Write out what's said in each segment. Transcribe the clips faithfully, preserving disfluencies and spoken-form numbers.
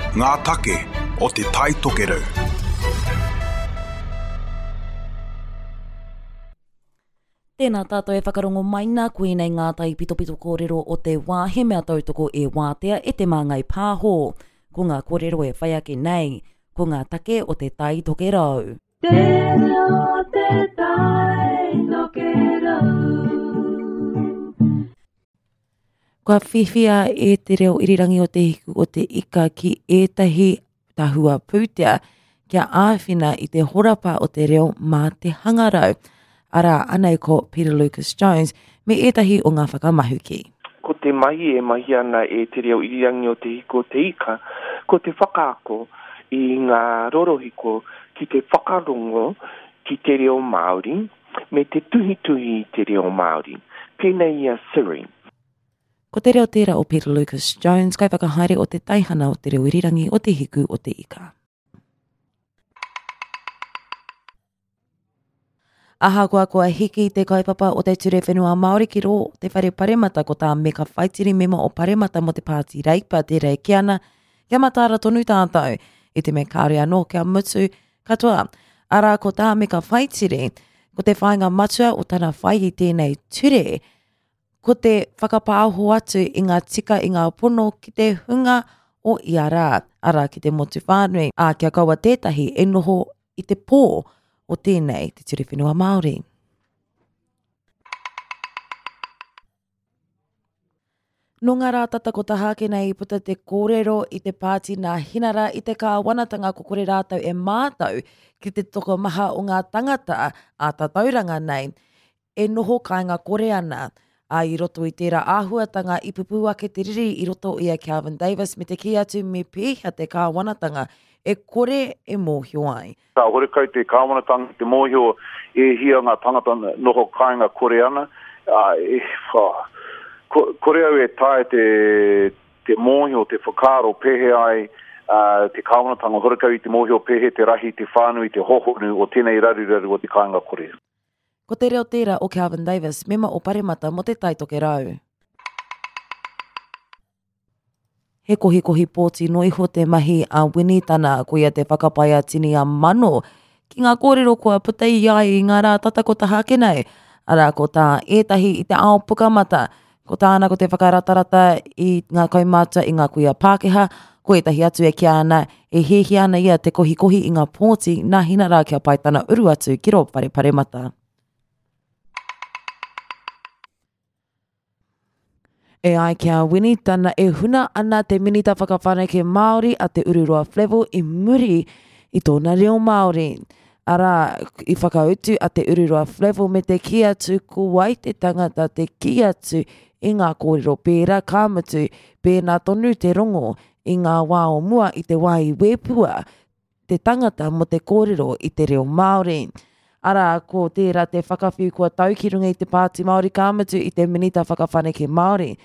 Ngā take o te Tai Tokerau. Tēnā tātou e whakarongo mai nā koinei ngā tai pitopito kōrero o te wā he mea tautoko e wātea e te Māngai Pāho. Ko ngā kōrero e whai ake nei, ko ngā take o te Tai Tokerau. Te reo te Tai Tokerau. Kua whiwhia e te reo irirangi o Te Hiku o te Ika ki ētahi tahua pūtea kia āwhina i te horapa o te reo mā te hangarau. Arā, anei ko Peter Lucas Jones me ētahi o ngā whakamahuki. Ko te mahi e mahi ana e te reo irirangi o Te Hiku o te Ika, ko te whakaako i ngā rorohiko ki te whakarongo ki te reo Māori me te tuhituhi i te reo Māori, pēnei i a Siri. Ko te reo tērā o Peter Lucas Jones, kaiwhakahaere o te teihana o te reo irirangi o Te Hiku o te Ika. Ahakoa kua hiki te kaupapa o te Ture Whenua Māori ki rō te whare paremata ko tā Meka Whaitiri mema o Paremata mō te Pāti Reipa te rei ki ana, kia mataara tonu tātou, i te mea kāore anō kia mutu katoa. Arā ko tā Meka Whaitiri, ko te whāinga matua o tana whai i tēnei ture, ko te whakapāho atu i ngā tika i ngā pono ki te hunga o ia rā, arā ki te motu whānui, ā kia kaua tētahi e noho i te pō o tēnei te Ture Whenua Māori. Nō ngā rā tata ko taha ake nei i puta te kōrero i te pāti nā Hinara i te kāwanatanga ko kore rātou e mātau ki te tokomaha o ngā tangata ā tatauranga nei e noho kāinga kore ana. Ā, i roto i tērā āhuatanga i pupū ake te riri i roto i a Kelvin Davis me te kī atu me pēhea te kāwanatanga e kore e mōhio ai. Ka horekau te kāwanatanga te mōhio e hia ngā tangata noho kāinga kore ana. Ā, e, wha, ko, kore au e tae te, te mōhio, te whakaaro pēhea ai uh, te kāwanatanga horekau i te mōhio pēhea te rahi, te whānui, te hohonu o tēnei raruraru o te kāinga kore. Ko te reo tērā o Kelvin Davis, mema o Paremata mō te Tai Tokerau. He kohikohi pōti no iho te mahi a Winitana, koia te whakapae a tini a mano ki ngā kōrero kua puta i ai i ngā rā tata ko taha ake nei. Arā, ko tā ētahi i te ao pukamata, ko tāna ko te whakaratarata i ngā kaumātua i ngā kuia Pākehā, ko ētahi atu e kīa ana, e hiahia ana ia te kohikohi i ngā pōti nā hina rā kia pai tana uru atu ki rō whare paremata. E ai ki a Winitana e huna ana te Minita Whakawhanake Māori a Te Ururoa Flavell i muri i tōna reo Māori. Arā, i whakautu a Te Ururoa Flavell me te kī atu ko wai te tangata te kī atu i ngā kōrero pērā ka mutu, pēnā tonu te rongo i ngā wā o mua i te wā i wēpua te tangata mō te kōrero i te reo Māori. Arā, ko tērā te whakawhiu kua tau ki runga i te Pāti Māori ka mutu i te Minita Whakawhanake Māori.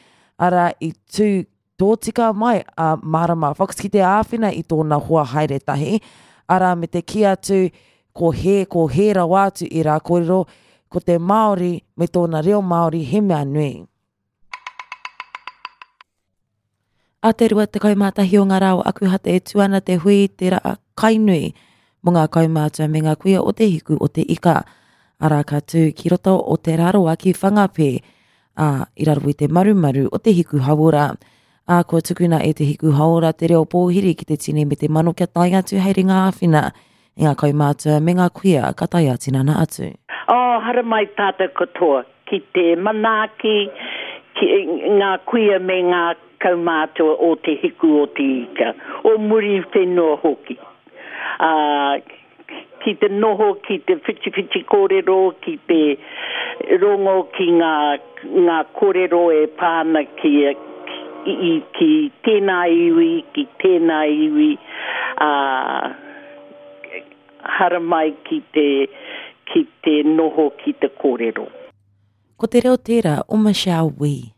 Arā, i tū tōtika mai a Marama Fox ki te āwhina i tōna hoa haere tahi. Arā, me te kī atu ko he, ko he rawa atu i rā kōrero, ko te Māori me tōna reo Māori he mea nui. A te rua tekau mā tahi o ngā rā o Akuhata e tū ana te hui te rā kainui mō ngā kaumātua me ngā kuia o te hiku o te ika. Arā ka tū ki roto o Te Rarawa ki Whangapē, ā, i raro i te marumaru o te hiku hauora. Ā, kua tukuna e te hiku hauora te reo pōhiri ki te tini me te mano kia tae atu hei ringa āwhina i ngā kaumātua me ngā kuia ka tae ā-tinana atu. Oh, haramai tātou katoa ki te manaaki, ki ngā kuia me ngā kaumātua o te hiku o te ika, o muri whenua hoki. Uh, ki te noho, ki te whitiwhiti kōrero, ki te rongo ki ngā, ngā kōrero e pāna ki, ki, ki tēnā iwi, ki tēnā iwi, uh, haramai ki te, ki te noho ki te kōrero. Ko te reo tērā o Michelle Wee.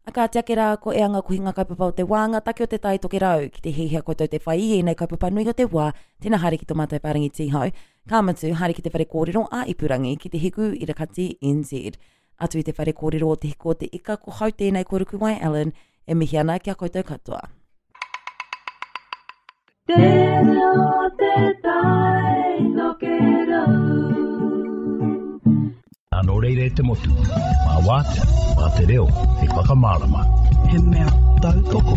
A ka ake rā ko e anga kohinga kaupapa o te wā, ngā take o te Tai Tokerau, ki te hiahia koutou te whai i ēnei kaupapa nui o te wā, tēnā haere ki tō mātou whārangi tīhau, ka mutu, haere ki te whare kōrero a Ipurangi, ki te hiku irakati N Z. Atu i te whare kōrero o te hiku o te ika, ko hau tēnei ko Rukuwai Allen, E mihi ana kia koutou katoa. Te reo te tai tokerau. Nō reira e te motu, mā wātea, mā te reo, hei whakamārama. He mea tautoko.